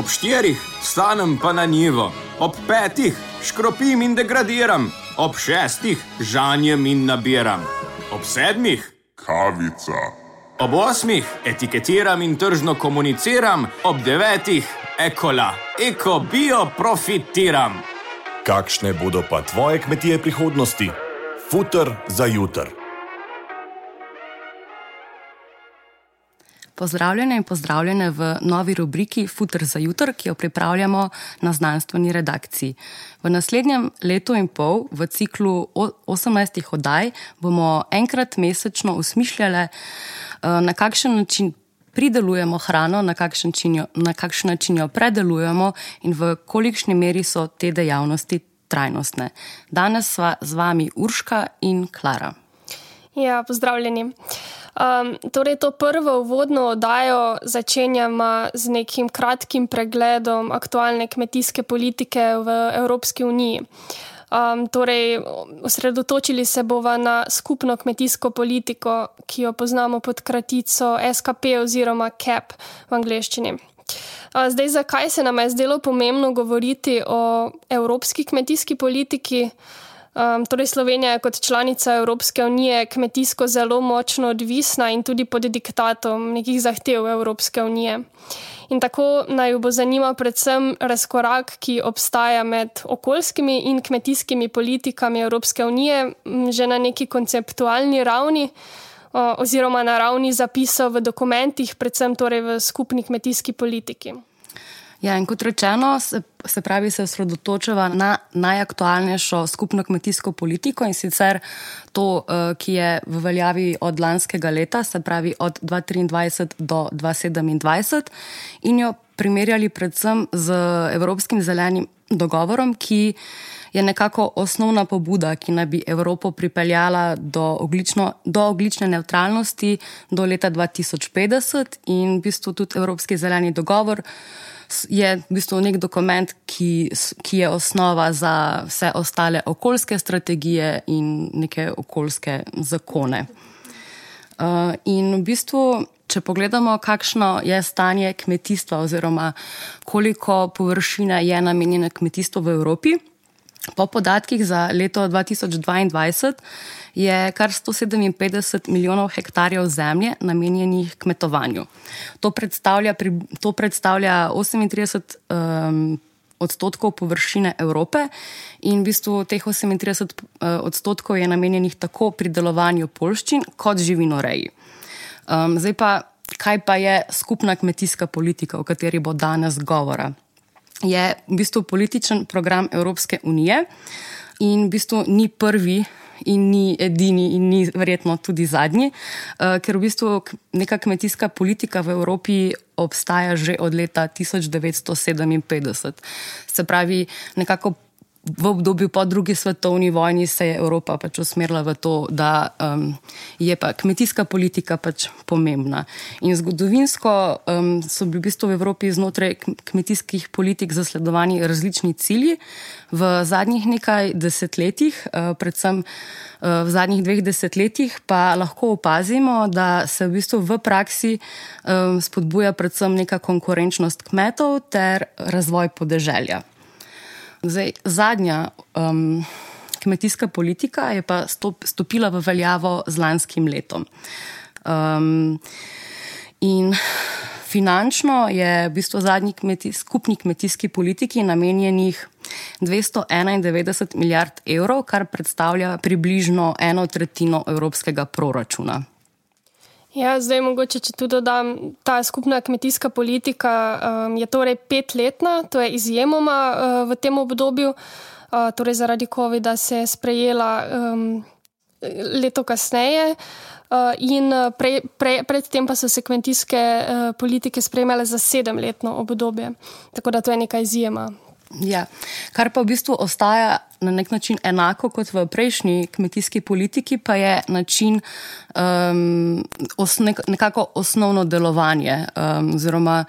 Ob 4 vstanem pa na njivo, ob 5 škropim in degradiram, ob 6 žanjem in nabiram, ob 7 kavica, ob 8 etiketiram in tržno komuniciram, ob 9 ekola, bio profitiram. Kakšne bodo pa tvoje kmetije prihodnosti? Futer za jutr. Pozdravljene in pozdravljene v novi rubriki Futer za jutr, ki jo pripravljamo na znanstveni redakciji. V naslednjem letu in pol, v ciklu 18 oddaj, bomo enkrat mesečno usmišljali, na kakšen način pridelujemo hrano, na kakšen način jo predelujemo in v kolikšni meri so te dejavnosti trajnostne. Danes sva z vami Urška in Klara. Ja, pozdravljeni. Torej, to prvo uvodno oddajo začenjamo z nekim kratkim pregledom aktualne kmetijske politike v Evropski uniji. Torej, osredotočili se bova na skupno kmetijsko politiko, ki jo poznamo pod kratico SKP oziroma CAP v angleščini. Zdaj, zakaj se nam je zdelo pomembno govoriti o evropski kmetijski politiki? Torej, Slovenija je kot članica Evropske unije kmetijsko zelo močno odvisna in tudi pod diktatom nekih zahtev Evropske unije. In tako naj bo zanima predvsem razkorak, ki obstaja med okoljskimi in kmetijskimi politikami Evropske unije že na neki konceptualni ravni oziroma na ravni zapisov v dokumentih, predvsem torej v skupni kmetijski politiki. Ja, in kot rečeno, se pravi, se osredotočava na najaktualnejšo skupno kmetijsko politiko in sicer to, ki je v veljavi od lanskega leta, se pravi od 2023 do 2027 in jo primerjali predvsem z Evropskim zelenim dogovorom, ki je nekako osnovna pobuda, ki naj bi Evropo pripeljala do ogljične nevtralnosti do leta 2050 in v bistvu tudi Evropski zeleni dogovor je v bistvu nek dokument, ki je osnova za vse ostale okoljske strategije in neke okoljske zakone. In v bistvu, če pogledamo, kakšno je stanje kmetijstva oziroma koliko površine je namenjene kmetijstvu v Evropi, po podatkih za leto 2022 je kar 157 milijonov hektarjev zemlje namenjenih kmetovanju. To predstavlja 38 odstotkov površine Evrope in v bistvu teh 38 odstotkov je namenjenih tako pridelovanju poljščin kot živinoreji. Zdaj pa, kaj pa je skupna kmetijska politika, o kateri bo danes govora? Je v bistvu političen program Evropske unije in v bistvu ni prvi in ni edini in ni verjetno tudi zadnji, ker v bistvu neka kmetijska politika v Evropi obstaja že od leta 1957. Se pravi, nekako v obdobju po drugi svetovni vojni se je Evropa pač usmerila v to, da je pa kmetijska politika pač pomembna. In zgodovinsko so bili v bistvu v Evropi znotraj kmetijskih politik zasledovani različni cilji. V zadnjih nekaj desetletjih, predvsem v zadnjih 2 desetletjih, pa lahko opazimo, da se v bistvu v praksi spodbuja predvsem neka konkurenčnost kmetov ter razvoj podeželja. Zdaj, zadnja kmetijska politika je pa stopila v veljavo z lanskim letom. In finančno je v bistvu zadnji skupni kmetijski politiki namenjenih 291 milijard evrov, kar predstavlja približno 1/3 evropskega proračuna. Ja, zdaj mogoče, če tudi dodam, ta skupna kmetijska politika je torej 5-letna, to je izjemoma v tem obdobju, torej zaradi covida se je sprejela leto kasneje in predtem pa so se kmetijske politike sprejemale za 7-letno obdobje, tako da to je neka izjema. Ja, kar pa v bistvu ostaja na nek način enako kot v prejšnji kmetijski politiki, pa je način nekako osnovno delovanje oziroma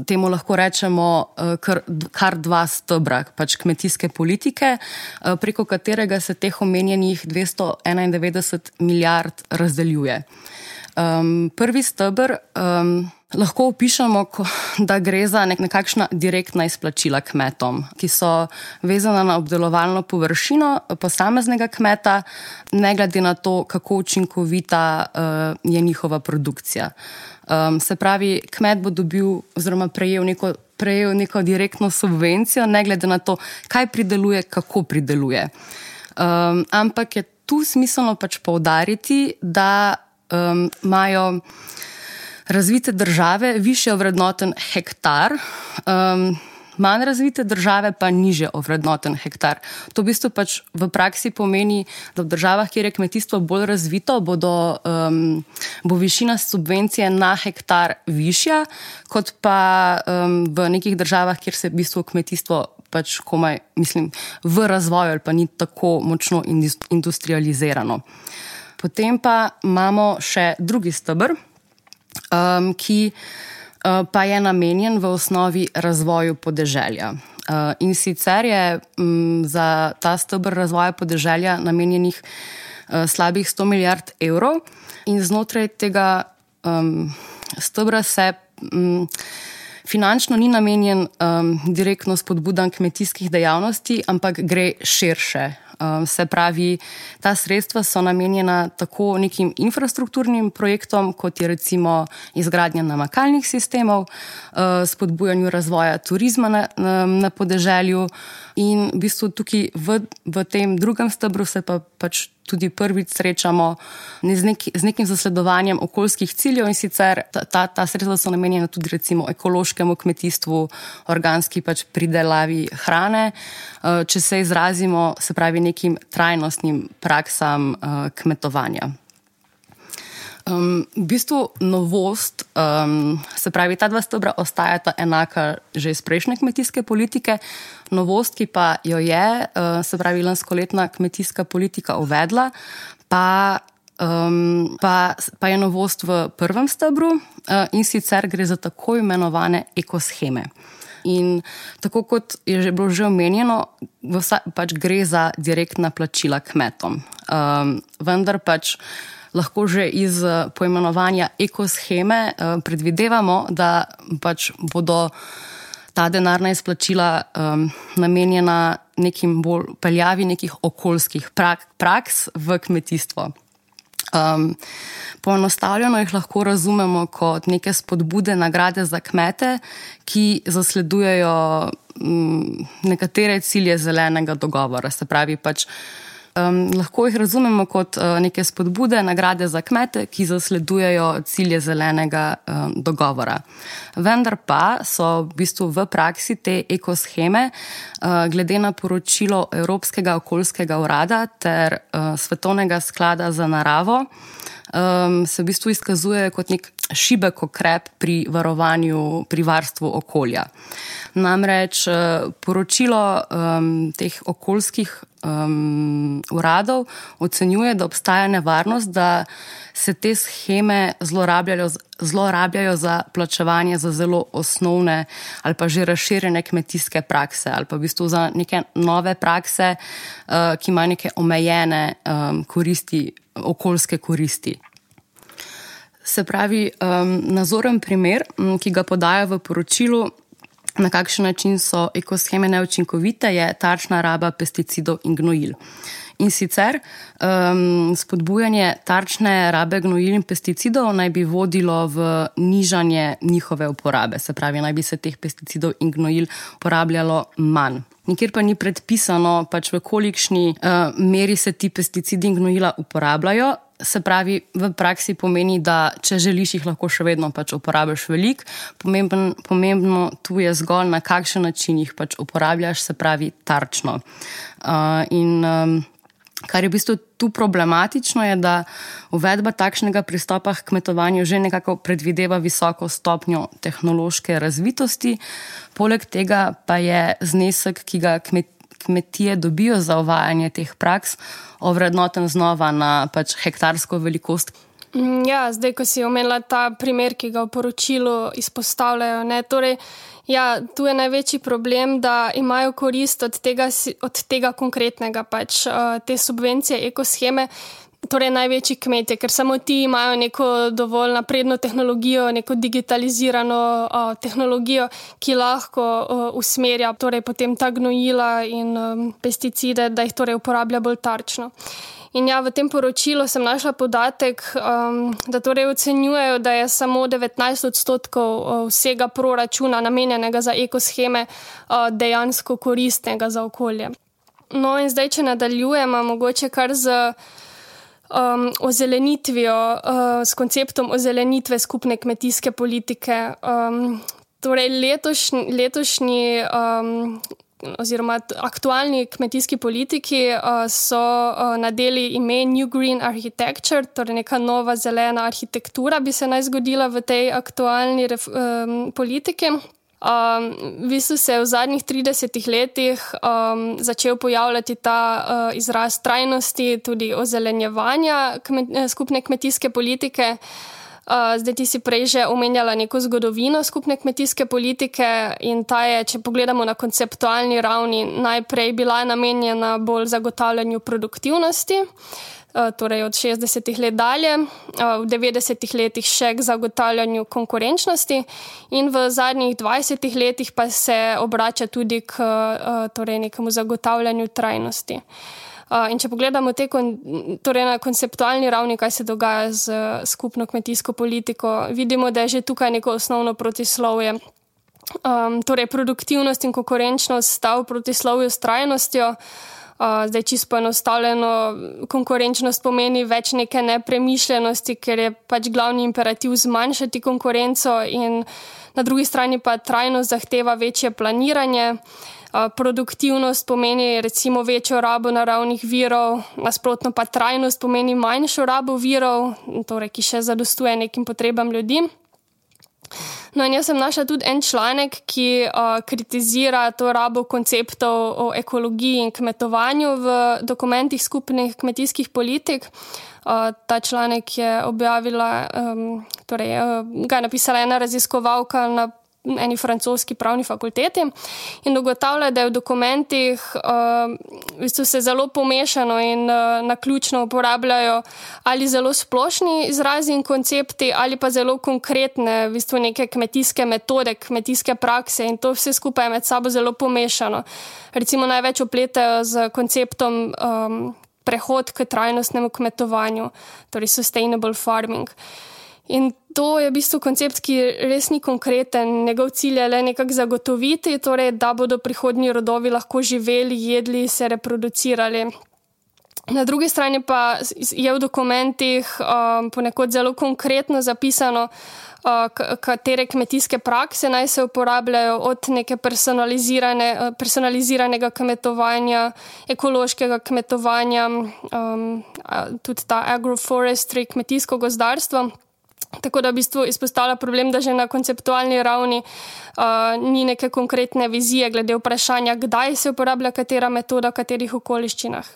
temu lahko rečemo kar 2 stebra pač kmetijske politike, preko katerega se teh omenjenih 291 milijard razdeljuje. Prvi steber lahko opišemo, da gre za nekakšna direktna izplačila kmetom, ki so vezana na obdelovalno površino posameznega kmeta, ne glede na to, kako učinkovita je njihova produkcija. Se pravi, kmet bo dobil oziroma prejel neko direktno subvencijo, ne glede na to, kaj prideluje, kako prideluje. Ampak je tu smiselno pač poudariti, da imajo razvite države višje ovrednoten hektar, manj razvite države pa nižje ovrednoten hektar. To v bistvu pač v praksi pomeni, da v državah, kjer je kmetijstvo bolj razvito, bo višina subvencije na hektar višja, kot pa v nekih državah, kjer se v bistvu kmetijstvo pač komaj, v razvoju ali pa ni tako močno industrializirano. Potem pa imamo še drugi steber, ki pa je namenjen v osnovi razvoju podeželja. In sicer je za ta steber razvoja podeželja namenjenih slabih 100 milijard evrov in znotraj tega stebra se finančno ni namenjen direktno spodbudam kmetijskih dejavnosti, ampak gre širše. Se pravi, ta sredstva so namenjena tako nekim infrastrukturnim projektom, kot je recimo izgradnja namakalnih sistemov, spodbujanju razvoja turizma na podeželju in v bistvu tukaj v tem drugem stebru se pa pač tudi prvič srečamo z nekim zasledovanjem okoljskih ciljev in sicer ta sredstva so namenjena tudi recimo ekološkemu kmetijstvu, organski pač pridelavi hrane, če se izrazimo, se pravi nekim trajnostnim praksam kmetovanja. V bistvu novost, se pravi, ta dva stebra ostajata enaka že iz prejšnje kmetijske politike, novost, ki pa jo je, se pravi, lanskoletna kmetijska politika uvedla, pa je novost v prvem stebru in sicer gre za tako imenovane ekosheme. In tako kot je bilo že omenjeno, pač gre za direktna plačila kmetom. Vendar pač lahko že iz poimenovanja ekosheme predvidevamo, da pač bodo ta denarna izplačila namenjena nekim bolj peljavi nekih okoljskih praks v kmetijstvo. Poenostavljeno jih lahko razumemo kot neke spodbude, nagrade za kmete, ki zasledujejo nekatere cilje zelenega dogovora. Se pravi, pač lahko jih razumemo kot neke spodbude, nagrade za kmete, ki zasledujejo cilje zelenega dogovora. Vendar pa so v bistvu v praksi te ekosheme, glede na poročilo Evropskega okoljskega urada ter Svetovnega sklada za naravo, se v bistvu izkazuje kot nek šibek ukrep pri varstvu okolja. Namreč poročilo teh okoljskih uradov ocenjuje, da obstaja nevarnost, da se te sheme zlorabljajo za plačevanje za zelo osnovne ali pa že razširjene kmetijske prakse ali pa v bistvu za neke nove prakse, ki imajo neke omejene koristi, okoljske koristi. Se pravi, nazoren primer, ki ga podaja v poročilu, na kakšen način so ekosheme neučinkovite, je tarčna raba pesticidov in gnojil. In sicer spodbujanje tarčne rabe gnojil in pesticidov naj bi vodilo v nižanje njihove uporabe. Se pravi, naj bi se teh pesticidov in gnojil uporabljalo manj. Nikjer pa ni predpisano, pač v kolikšni meri se ti pesticidi in gnojila uporabljajo. Se pravi, v praksi pomeni, da če želiš, jih lahko še vedno pač uporabiš veliko. Pomembno tu je zgolj, na kakšen način jih pač uporabljaš, se pravi tarčno. Kar je v bistvu tu problematično je, da uvedba takšnega pristopa k kmetovanju že nekako predvideva visoko stopnjo tehnološke razvitosti. Poleg tega pa je znesek, ki ga kmetije dobijo za uvajanje teh praks, ovrednoten znova na pač hektarsko velikost. Ja, zdaj, ko si omenila ta primer, ki ga v poročilu izpostavljajo, torej, ja, tu je največji problem, da imajo korist od tega konkretnega pač te subvencije, ekosheme, torej največji kmetje, ker samo ti imajo neko dovolj napredno tehnologijo, neko digitalizirano tehnologijo, ki lahko usmerja torej potem ta gnojila in pesticide, da jih torej uporablja bolj tarčno. In ja, v tem poročilu sem našla podatek, da torej ocenjujejo, da je samo 19% vsega proračuna namenjenega za ekosheme dejansko koristnega za okolje. No in zdaj, če nadaljujemo, mogoče kar z ozelenitvijo, s konceptom ozelenitve skupne kmetijske politike. Torej letošnji oziroma aktualni kmetijski politiki so nadeli ime New Green Architecture, torej neka nova zelena arhitektura bi se naj zgodila v tej aktualni politiki. V bistvu se je v zadnjih 30 letih začel pojavljati ta izraz trajnosti, tudi ozelenjevanja skupne kmetijske politike. Zdaj ti si prej že omenjala neko zgodovino skupne kmetijske politike in ta je, če pogledamo na konceptualni ravni, najprej bila namenjena bolj zagotavljanju produktivnosti, torej od 60 let dalje, v 90 letih še k zagotavljanju konkurenčnosti in v zadnjih 20 letih pa se obrača tudi k torej nekemu zagotavljanju trajnosti. In če pogledamo torej na konceptualni ravni, kaj se dogaja z skupno kmetijsko politiko, vidimo, da je že tukaj neko osnovno protislovje. Torej produktivnost in konkurenčnost sta v protislovju s trajnostjo. Zdaj čisto poenostavljeno, konkurenčnost pomeni več neke nepremišljenosti, ker je pač glavni imperativ zmanjšati konkurenco in na drugi strani pa trajnost zahteva večje planiranje. Produktivnost pomeni recimo večjo rabo naravnih virov, nasprotno pa trajnost pomeni manjšo rabo virov, torej ki še zadostuje nekim potrebam ljudi. No in jaz sem našla tudi en članek, ki kritizira to rabo konceptov o ekologiji in kmetovanju v dokumentih skupnih kmetijskih politik. Ta članek je objavila, torej ga je napisala ena raziskovalka na eni francoski pravni fakulteti in ugotavlja, da je v dokumentih v bistvu se zelo pomešano in naključno uporabljajo ali zelo splošni izrazi in koncepti ali pa zelo konkretne v bistvu neke kmetijske metode, kmetijske prakse in to vse skupaj je med sabo zelo pomešano. Recimo največ opletajo z konceptom prehod k trajnostnemu kmetovanju, torej sustainable farming. In to je v bistvu koncept, ki res ni konkreten. Njegov cilj je le nekako zagotoviti, torej, da bodo prihodnji rodovi lahko živeli, jedli, se reproducirali. Na drugi strani pa je v dokumentih ponekod zelo konkretno zapisano, katere kmetijske prakse naj se uporabljajo od neke personaliziranega kmetovanja, ekološkega kmetovanja, tudi ta agroforestry, kmetijsko gozdarstvo. Tako da v bistvu izpostavlja problem, da že na konceptualni ravni ni neke konkretne vizije glede vprašanja, kdaj se uporablja katera metoda, v katerih okoliščinah.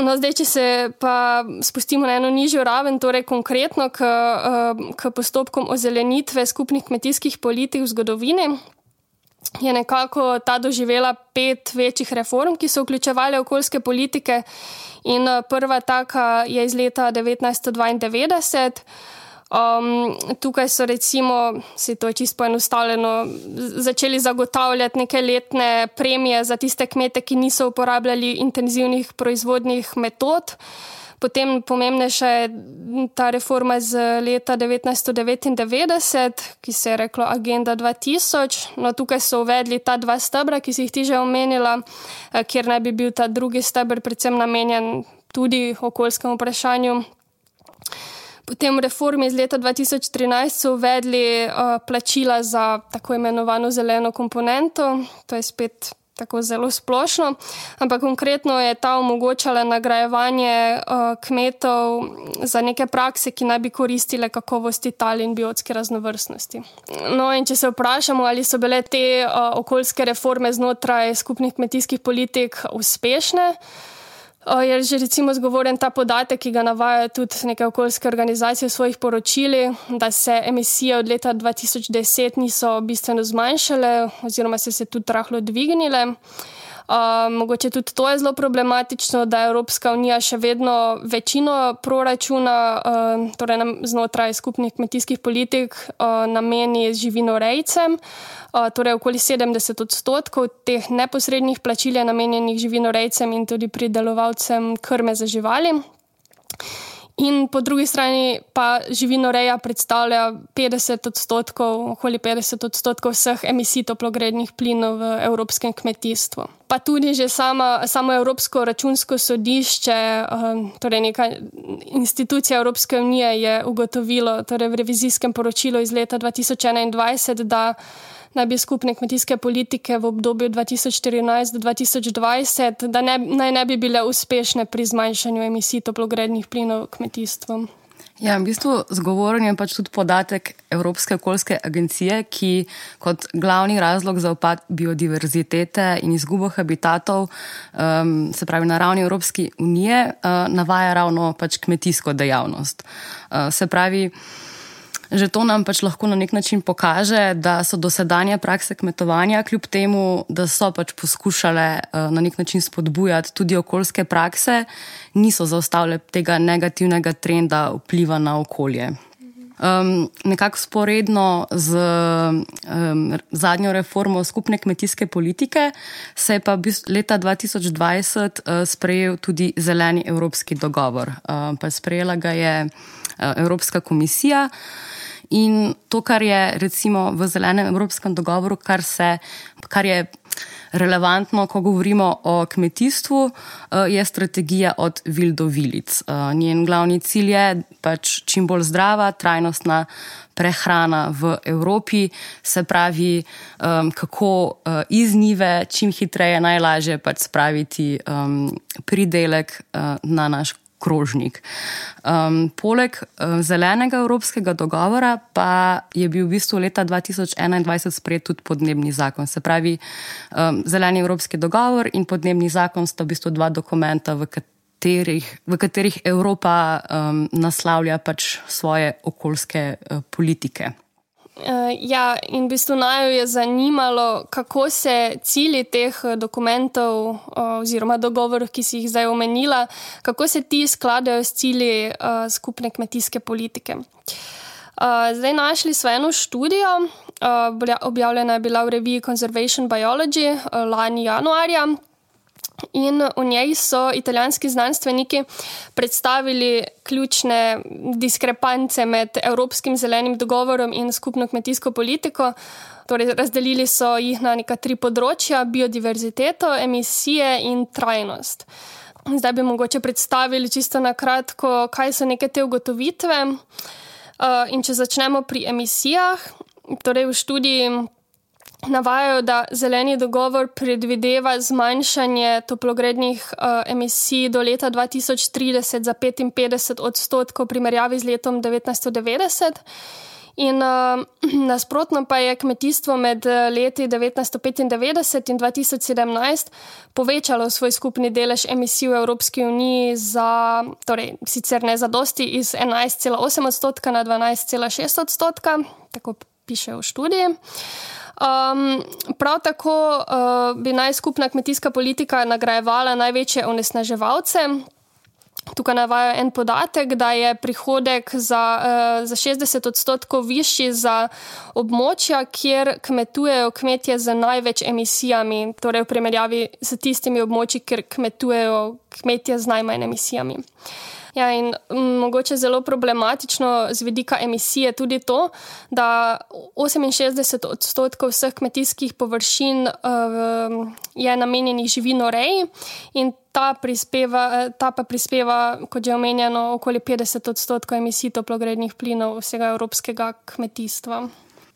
No, zdaj, če se pa spustimo na eno nižjo raven, torej konkretno k postopkom ozelenitve skupnih kmetijskih politik v zgodovini, je nekako ta doživela 5 večjih reform, ki so vključevale okoljske politike in prva taka je iz leta 1992. Tukaj so recimo, se to je čisto poenostavljeno, začeli zagotavljati neke letne premije za tiste kmete, ki niso uporabljali intenzivnih proizvodnih metod. Potem pomembnejša je ta reforma z leta 1999, ki se je reklo Agenda 2000. No, tukaj so uvedli ta 2 stebra, ki si jih ti že omenila, kjer naj bi bil ta drugi steber predvsem namenjen tudi okoljskemu vprašanju. Potem v reformi iz leta 2013 so uvedli plačila za tako imenovano zeleno komponento, to je spet tako zelo splošno, ampak konkretno je ta omogočala nagrajevanje kmetov za neke prakse, ki naj bi koristile kakovosti tal in biotske raznovrstnosti. No in če se vprašamo, ali so bile te okoljske reforme znotraj skupnih kmetijskih politik uspešne, je že recimo zgovoren ta podatek, ki ga navajajo tudi neke okoljske organizacije v svojih poročili, da se emisije od leta 2010 niso bistveno zmanjšale oziroma se tudi rahlo dvignile. Mogoče tudi to je zelo problematično, da Evropska unija še vedno večino proračuna, torej znotraj skupnih kmetijskih politik, nameni živinorejcem. Torej okoli 70% teh neposrednih plačil je namenjenih živinorejcem in tudi pridelovalcem krme za živali. In po drugi strani pa živinoreja predstavlja 50%, okoli 50% vseh emisij toplogrednih plinov v evropskem kmetijstvu. Pa tudi že samo Evropsko računsko sodišče, torej neka institucija Evropske unije je ugotovilo, torej v revizijskem poročilu iz leta 2021, da naj bi skupne kmetijske politike v obdobju 2014 do 2020, da naj ne bi bile uspešne pri zmanjšanju emisij toplogrednih plinov kmetijstvom. Ja, v bistvu zgovoren je pač tudi podatek Evropske okoljske agencije, ki kot glavni razlog za upad biodiverzitete in izgubo habitatov, se pravi na ravni Evropske unije, navaja ravno pač kmetijsko dejavnost. Se pravi, že to nam pač lahko na nek način pokaže, da so dosedanje prakse kmetovanja, kljub temu, da so pač poskušale na nek način spodbujati tudi okoljske prakse, niso zaustavile tega negativnega trenda vpliva na okolje. Nekako sporedno z zadnjo reformo skupne kmetijske politike se je pa leta 2020 sprejel tudi zeleni evropski dogovor. Pa sprejela ga je Evropska komisija. In to, kar je recimo v zelenem evropskem dogovoru, kar je relevantno, ko govorimo o kmetijstvu, je strategija od vil do vilic. Njen glavni cilj je pač čim bolj zdrava, trajnostna prehrana v Evropi, se pravi, kako iz njive čim hitreje, najlažje pač spraviti pridelek na naš krožnik. Poleg zelenega evropskega dogovora pa je bil v bistvu leta 2021 sprejet tudi podnebni zakon. Se pravi, zeleni evropski dogovor in podnebni zakon sta v bistvu dva dokumenta, v katerih Evropa naslavlja pač svoje okoljske politike. Ja, in v bistvu naju je zanimalo, kako se cilji teh dokumentov oziroma dogovorov, ki si jih zdaj omenila, kako se ti skladajo s cilji skupne kmetijske politike. Zdaj našli smo eno študijo, objavljena je bila v reviji Conservation Biology lani januarja. In v njej so italijanski znanstveniki predstavili ključne diskrepance med Evropskim zelenim dogovorom in skupno kmetijsko politiko. Torej, razdelili so jih na neka 3 področja: biodiverziteto, emisije in trajnost. Zdaj bi mogoče predstavili čisto na kratko, kaj so neke te ugotovitve. In če začnemo pri emisijah, torej v študiji navajajo, da zeleni dogovor predvideva zmanjšanje toplogrednih emisij do leta 2030 za 55% v primerjavi z letom 1990. In nasprotno pa je kmetijstvo med leti 1995 in 2017 povečalo svoj skupni delež emisij v Evropski uniji za, torej sicer ne zadosti, iz 11,8% na 12,6%, tako piše v študiji. Prav tako bi naj skupna kmetijska politika nagrajevala največje onesnaževalce. Tukaj navaja en podatek, da je prihodek za 60% višji za območja, kjer kmetujejo kmetje z največ emisijami, torej v primerjavi s tistimi območji, kjer kmetujejo kmetje z najmanj emisijami. Ja, in mogoče zelo problematično z vidika emisije tudi to, da 68% vseh kmetijskih površin je namenjenih živinoreji in ta pa prispeva, kot že omenjeno, okoli 50% emisij toplogrednih plinov vsega evropskega kmetijstva.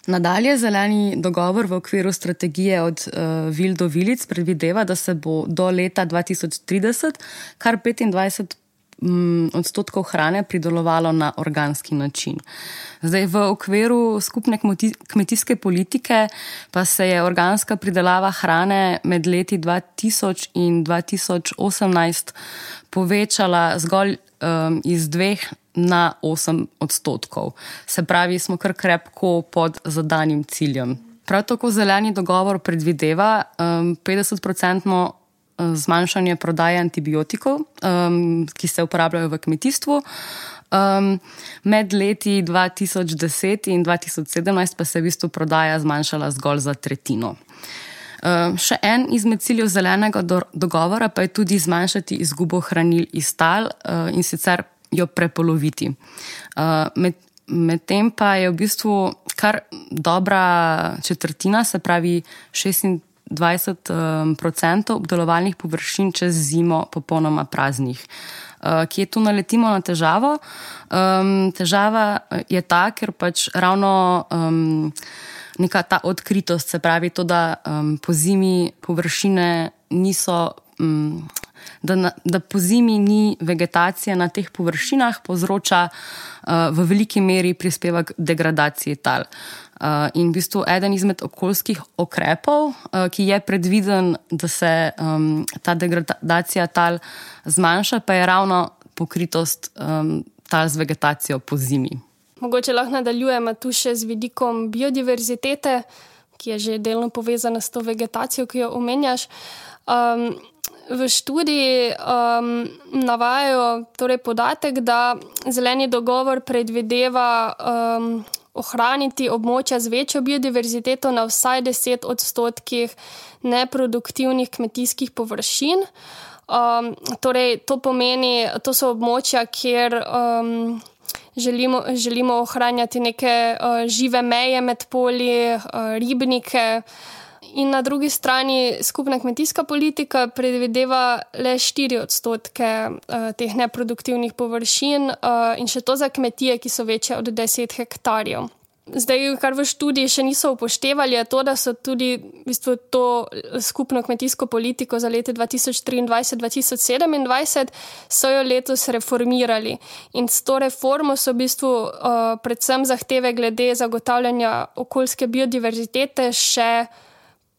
Nadalje, zeleni dogovor v okviru strategije od vil do vilic predvideva, da se bo do leta 2030 kar 25% hrane pridelovalo na organski način. Zdaj, v okviru skupne kmetijske politike pa se je organska pridelava hrane med leti 2000 in 2018 povečala zgolj iz 2 na 8%. Se pravi, smo kar krepko pod zadanim ciljem. Prav tako zeleni dogovor predvideva 50% zmanjšanje prodaje antibiotikov, ki se uporabljajo v kmetijstvu. Med leti 2010 in 2017 pa se v bistvu prodaja zmanjšala zgolj za tretjino. Še en izmed ciljev zelenega dogovora pa je tudi zmanjšati izgubo hranil iz tal in sicer jo prepoloviti. Medtem pa je v bistvu kar dobra četrtina, se pravi 26% obdelovalnih površin čez zimo popolnoma praznih. Kje tu naletimo na težavo? Težava je ta, ker pač ravno neka ta odkritost, se pravi to, da po zimi površine niso, da po zimi ni vegetacije na teh površinah, povzroča v veliki meri prispeva k degradaciji tal. In v bistvu eden izmed okoljskih ukrepov, ki je predviden, da se ta degradacija tal zmanjša, pa je ravno pokritost tal z vegetacijo po zimi. Mogoče lahko nadaljujemo tu še z vidikom biodiverzitete, ki je že delno povezana s to vegetacijo, ki jo omenjaš. V študiji navajajo torej podatek, da zeleni dogovor predvideva ohraniti območja z večjo biodiverziteto na vsaj 10% neproduktivnih kmetijskih površin. Torej, to pomeni, to so območja, kjer želimo ohranjati neke žive meje med polji, ribnike. In na drugi strani skupna kmetijska politika predvideva le 4% teh neproduktivnih površin in še to za kmetije, ki so večje od 10 hektarjev. Zdaj, kar v študiji še niso upoštevali, je to, da so tudi v bistvu to skupno kmetijsko politiko za leti 2023-2027 so jo letos reformirali. In s to reformo so v bistvu predvsem zahteve glede zagotavljanja okoljske biodiverzitete še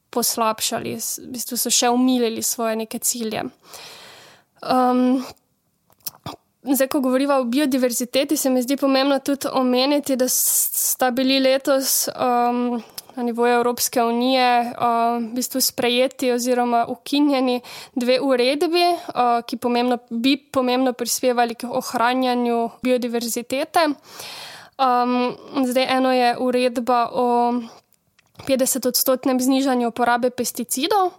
poslabšali, v bistvu so še umilili svoje neke cilje. Zdaj, ko govoriva o biodiverziteti, se mi zdi pomembno tudi omeniti, da sta bili letos na nivoju Evropske unije v bistvu sprejeti oziroma ukinjeni 2 uredbi, ki bi pomembno prispevali k ohranjanju biodiverzitete. Zdaj, eno je uredba o 50% znižanju uporabe pesticidov.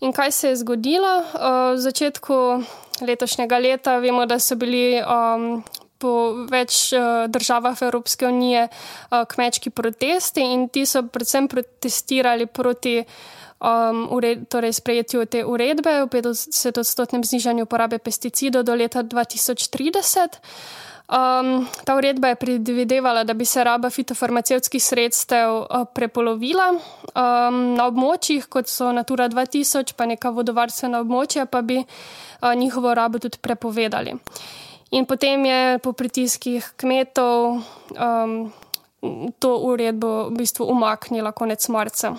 In kaj se je zgodilo? V začetku letošnjega leta vemo, da so bili po več državah Evropske unije kmečki protesti in ti so predvsem protestirali proti torej sprejetju te uredbe o 50% znižanju uporabe pesticidov do leta 2030. Ta uredba je predvidevala, da bi se raba fitofarmacevtskih sredstev prepolovila. Na območjih, kot so Natura 2000, pa neka vodovarstvena območja, pa bi njihovo rabo tudi prepovedali. In potem je po pritiskih kmetov to uredbo v bistvu umaknila konec marca.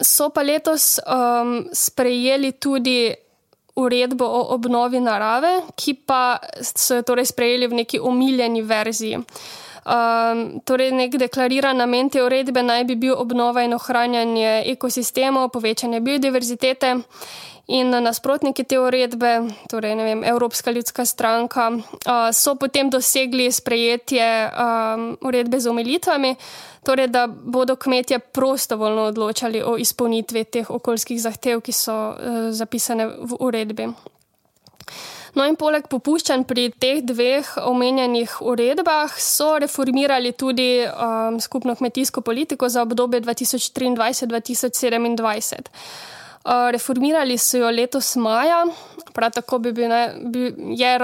So pa letos sprejeli tudi uredbo o obnovi narave, ki pa so jo torej sprejeli v neki omiljeni verziji. Torej, nek deklariran namen te uredbe naj bi bil obnova in ohranjanje ekosistemov, povečanje biodiverzitete in nasprotniki te uredbe, torej, Evropska ljudska stranka, so potem dosegli sprejetje uredbe z omilitvami, torej, da bodo kmetje prostovoljno odločali o izpolnitvi teh okoljskih zahtev, ki so zapisane v uredbi. No in poleg popuščanj pri teh 2 omenjenih uredbah so reformirali tudi skupno kmetijsko politiko za obdobje 2023-2027. Reformirali so jo letos maja, prav tako je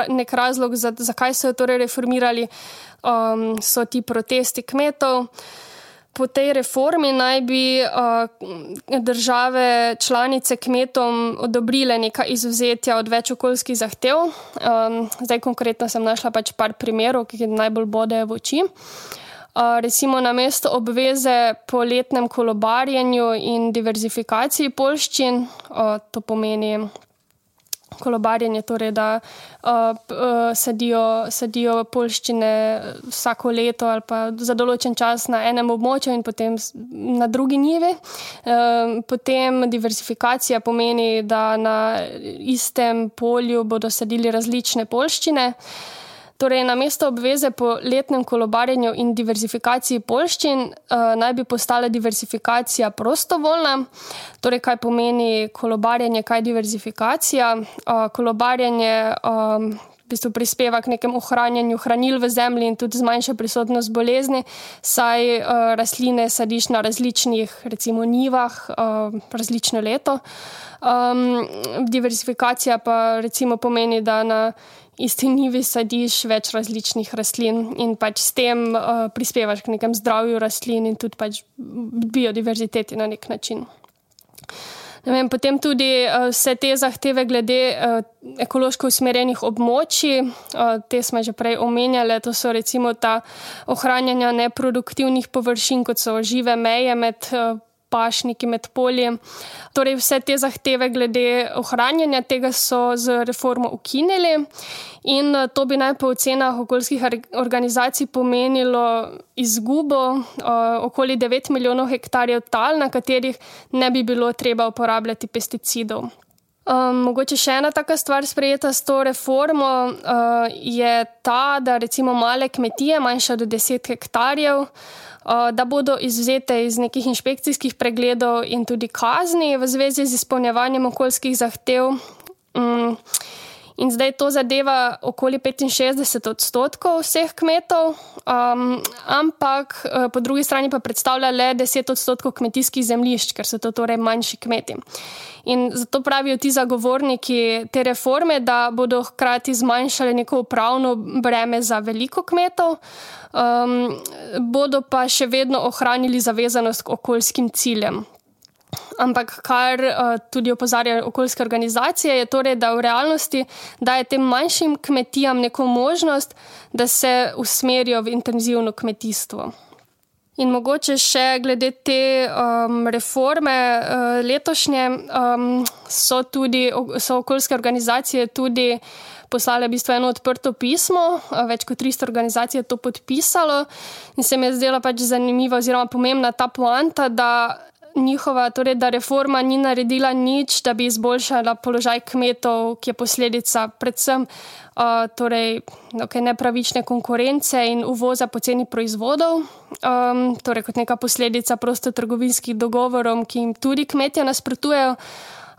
nek razlog, zakaj so jo torej reformirali, so ti protesti kmetov. Po tej reformi naj bi države članice kmetom odobrile neka izvzetja od več okoljskih zahtev. Zdaj konkretno sem našla pač par primerov, ki najbolj bodejo v oči. Recimo namesto obveze po letnem kolobarjenju in diverzifikaciji poljščin, to pomeni kolobarjenje, torej da sadijo poljščine vsako leto ali pa za določen čas na enem območju in potem na drugi njivi. Potem diversifikacija pomeni, da na istem polju bodo sadili različne poljščine. Torej, namesto obveze po letnem kolobarjenju in diversifikaciji poljščin naj bi postala diversifikacija prostovoljna. Torej, kaj pomeni kolobarjenje, kaj diversifikacija? Kolobarjenje v bistvu prispeva k nekem ohranjanju hranil v zemlji in tudi zmanjša prisotnost bolezni, saj rastline sadiš na različnih, recimo, njivah različno leto. Diversifikacija pa recimo pomeni, da na isti njivi sadiš več različnih rastlin in pač s tem prispevaš k nekem zdravju rastlin in tudi pač biodiverziteti na nek način. Potem tudi vse te zahteve glede ekološko usmerjenih območij, te smo že prej omenjali, to so recimo ta ohranjanja neproduktivnih površin, kot so žive meje med pašniki, med polji. Torej vse te zahteve glede ohranjanja tega so z reformo ukinili in to bi naj po ocenah okoljskih organizacij pomenilo izgubo okoli 9 milijonov hektarjev tal, na katerih ne bi bilo treba uporabljati pesticidov. Mogoče še ena taka stvar sprejeta s to reformo je ta, da recimo male kmetije, manjše do 10 hektarjev, da bodo izvzete iz nekih inšpekcijskih pregledov in tudi kazni v zvezi z izpolnjevanjem okoljskih zahtev. In zdaj to zadeva okoli 65% vseh kmetov, ampak po drugi strani pa predstavlja le 10% kmetijskih zemljišč, ker so to torej manjši kmeti. In zato pravijo ti zagovorniki te reforme, da bodo hkrati zmanjšali neko upravno breme za veliko kmetov, bodo pa še vedno ohranili zavezanost k okoljskim ciljem. Ampak kar tudi opozarjajo okoljske organizacije je torej, da v realnosti daje tem manjšim kmetijam neko možnost, da se usmerijo v intenzivno kmetijstvo. In mogoče še glede te reforme letošnje so okoljske organizacije tudi poslale v bistvu eno odprto pismo, več kot 300 organizacij je to podpisalo in se mi je zdela pač zanimiva oziroma pomembna ta poanta, da da reforma ni naredila nič, da bi izboljšala položaj kmetov, ki je posledica predvsem nepravične konkurence in uvoza poceni proizvodov, torej kot neka posledica prostotrgovinskih dogovorov, ki jim tudi kmetje nasprotujejo,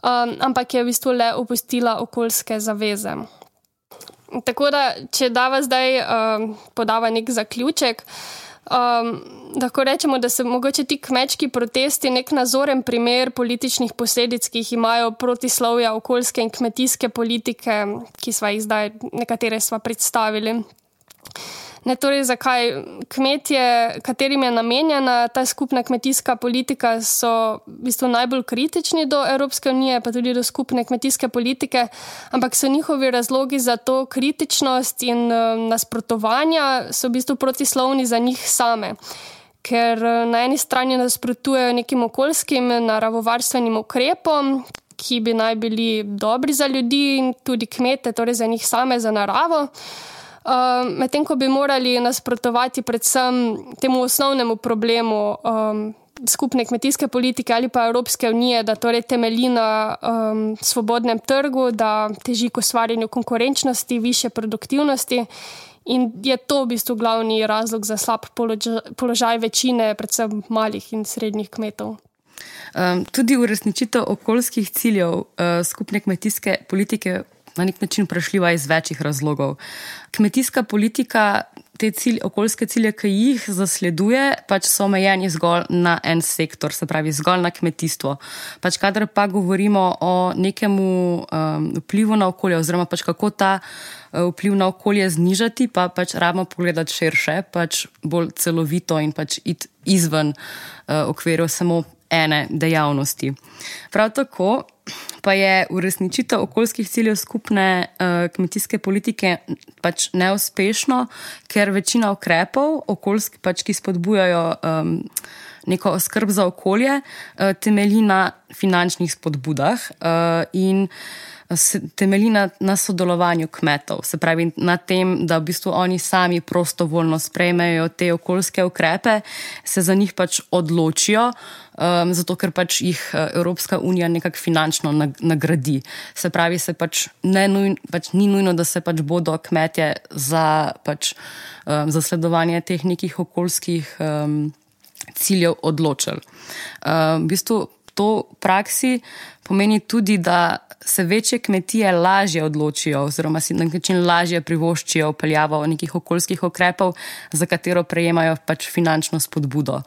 ampak je v bistvu le opustila okoljske zaveze. Tako da, če dava zdaj podava nek zaključek, lahko rečemo, da so mogoče ti kmečki protesti nek nazoren primer političnih posledic, ki jih imajo protislovja okoljske in kmetijske politike, ki sva jih zdaj, nekatere sva predstavili. Torej, zakaj kmetje, katerim je namenjena ta skupna kmetijska politika, so v bistvu najbolj kritični do Evropske unije, pa tudi do skupne kmetijske politike, ampak so njihovi razlogi za to kritičnost in nasprotovanja so v bistvu protislovni za njih same. Ker na eni strani nasprotujejo nekim okoljskim naravovarstvenim ukrepom, ki bi naj bili dobri za ljudi in tudi kmete, torej za njih same, za naravo. Medtem ko bi morali nasprotovati predvsem temu osnovnemu problemu skupne kmetijske politike ali pa Evropske unije, da torej temelji na svobodnem trgu, da teži k ustvarjanju konkurenčnosti, višje produktivnosti in je to v bistvu glavni razlog za slab položaj večine, predvsem malih in srednjih kmetov. Tudi uresničitev okoljskih ciljev skupne kmetijske politike na nek način vprašljiva iz večjih razlogov. Kmetijska politika, te okoljske cilje, ki jih zasleduje, pač so omejeni zgolj na en sektor, se pravi zgolj na kmetijstvo. Pač kadar pa govorimo o nekemu vplivu na okolje oziroma pač kako ta vpliv na okolje znižati, pa pač rabimo pogledati širše, pač bolj celovito in pač iti izven okvirov samo ene dejavnosti. Prav tako pa je uresničitev okoljskih ciljev skupne kmetijske politike pač neuspešno, ker večina ukrepov okoljskih, pač, ki spodbujajo neko skrb za okolje temelji na finančnih spodbudah in temelji na sodelovanju kmetov. Se pravi na tem, da v bistvu oni sami prostovoljno sprejmejo te okoljske ukrepe, se za njih pač odločijo, zato ker pač jih Evropska unija nekako finančno nagradi. Se pravi, se pač ni nujno, da se pač bodo kmetje za zasledovanje teh nekih okoljskih ciljev odločili. V bistvu to v praksi pomeni tudi, da se večje kmetije lažje odločijo oziroma si na način lažje privoščijo vpeljavo nekih okoljskih ukrepov, za katero prejemajo pač finančno spodbudo.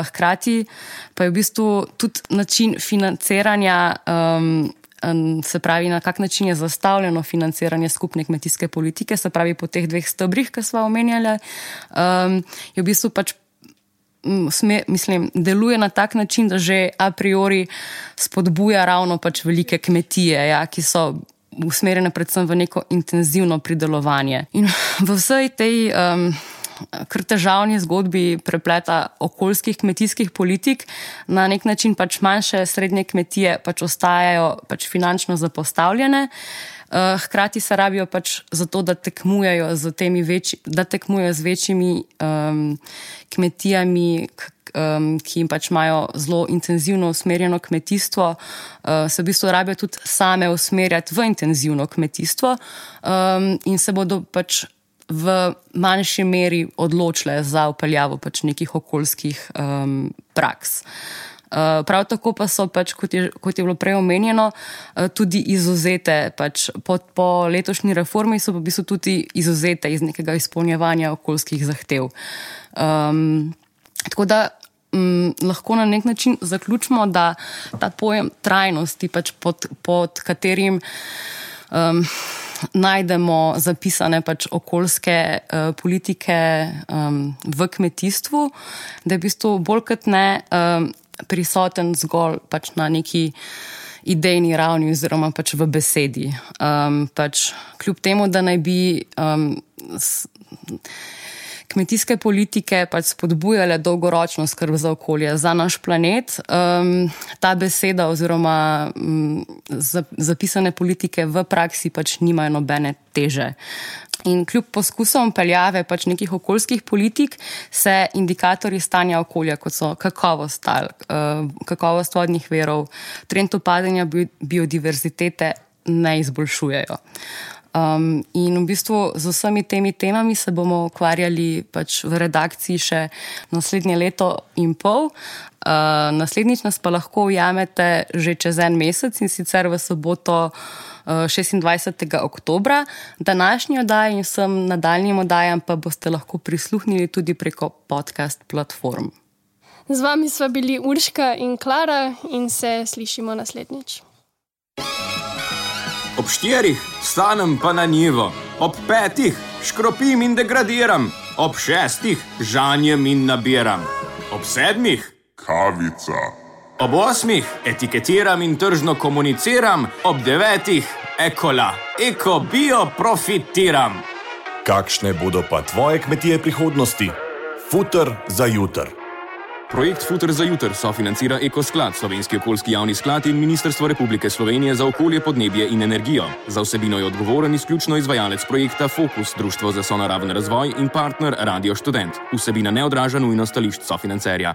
Hkrati pa je v bistvu tudi način financiranja, se pravi na kak način je zastavljeno financiranje skupne kmetijske politike, se pravi po teh dveh stebrih, ki sva omenjali, je v bistvu pač deluje na tak način, da že a priori spodbuja ravno pač velike kmetije, ki so usmerjene predvsem v neko intenzivno pridelovanje. In v vsej tej kar težavni zgodbi prepleta okoljskih kmetijskih politik na nek način pač manjše srednje kmetije pač ostajajo pač finančno zapostavljene. Hkrati se rabijo pač zato, da tekmujejo z večjimi kmetijami, ki jim pač imajo zelo intenzivno usmerjeno kmetijstvo, se v bistvu rabijo tudi same usmerjati v intenzivno kmetijstvo in se bodo pač v manjši meri odločile za vpeljavo pač nekih okoljskih praks. Prav tako pa so pač, kot je bilo prej omenjeno, tudi izvzete pač po letošnji reformi so pa v bistvu tudi izvzete iz nekega izpolnjevanja okoljskih zahtev. Tako da lahko na nek način zaključimo, da ta pojem trajnosti pač pod katerim najdemo zapisane pač okoljske politike v kmetijstvu, da je v bistvu bolj kot ne prisoten zgolj pač na neki idejni ravni oziroma pač v besedi. Pač kljub temu, da naj bi kmetijske politike pač spodbujale dolgoročno skrb za okolje, za naš planet, ta beseda oziroma zapisane politike v praksi pač nimajo nobene teže. In kljub poskusom vpeljave pač nekih okoljskih politik se indikatorji stanja okolja, kot so kakovost tal, kakovost vodnih virov, trend upadanja biodiverzitete ne izboljšujejo. In v bistvu z vsemi temi temami se bomo ukvarjali pač v redakciji še naslednje leto in pol. Naslednjič nas pa lahko ujamete že čez en mesec in sicer v soboto 26. oktobra. Današnji oddaji in vsem nadaljnjim oddajam pa boste lahko prisluhnili tudi preko podcast platform. Z vami sva bili Urška in Klara in se slišimo naslednjič. Ob 4 vstanem pa na njivo, ob 5 škropim in degradiram, ob 6 žanjem in nabiram, ob 7 kavica, ob 8 etiketiram in tržno komuniciram, ob 9 ekola, bio profitiram. Kakšne bodo pa tvoje kmetije prihodnosti? Futer za jutr. Projekt Futer za jutr sofinancira Ekosklad, Slovenski okoljski javni sklad in Ministrstvo Republike Slovenije za okolje, podnebje in energijo. Za vsebino je odgovoren izključno izvajalec projekta Fokus, Društvo za sonaraven razvoj in partner Radio Študent. Vsebina ne odraža nujno stališč sofinancerja.